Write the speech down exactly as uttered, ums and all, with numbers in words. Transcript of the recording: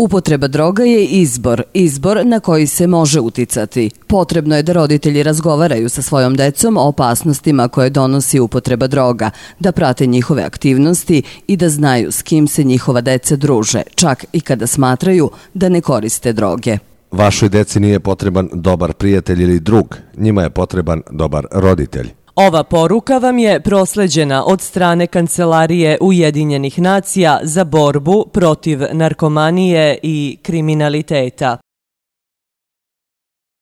Upotreba droga je izbor, izbor na koji se može uticati. Potrebno je da roditelji razgovaraju sa svojom decom o opasnostima koje donosi upotreba droga, da prate njihove aktivnosti i da znaju s kim se njihova deca druže, čak i kada smatraju da ne koriste droge. Vašoj deci nije potreban dobar prijatelj ili drug, njima je potreban dobar roditelj. Ova poruka vam je prosleđena od strane Kancelarije Ujedinjenih nacija za borbu protiv narkomanije i kriminaliteta.